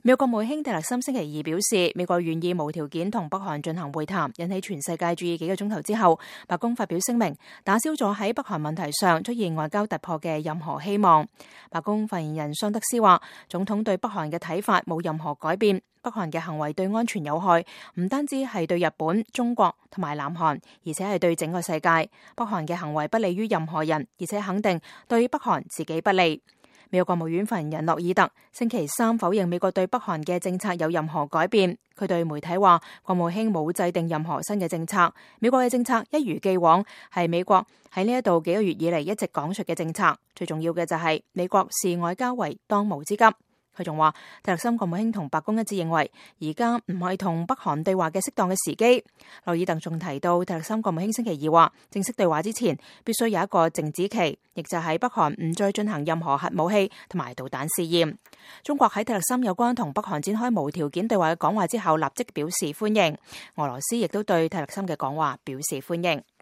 美國國務卿蒂勒森星期二表示，美國願意無條件同北韓進行會談，引起全世界注意幾個鐘頭之後，白宮發表聲明，打消咗喺北韓問題上出現外交突破嘅任何希望。白宮發言人桑德斯話，總統對北韓嘅睇法冇任何改變，北韓嘅行為對安全有害，唔單止係對日本、中國同埋南韓，而且係對整個世界。北韓嘅行為不利於任何人，而且肯定對北韓自己不利。美國國務院發言人諾爾特星期三否認美國對北韓嘅政策有任何改變。佢對媒體話，國務卿冇制定任何新嘅政策，美國嘅政策一如既往，係美國喺呢一度幾個月以嚟一直講述嘅政策。最重要嘅就係美國視外交為當務之急。佢仲話，蒂勒森國務卿同白宮一致認為，而家唔係同北韓對話嘅適當嘅時機。諾爾特仲提到，蒂勒森國務卿星期二話，正式對話之前必須有一個靜止期，亦就係北韓唔再進行任何核武器同埋導彈試驗。中國喺蒂勒森有關同北韓展開無條件對話嘅講話之後，立即表示歡迎。俄羅斯亦都對蒂勒森嘅講話表示歡迎。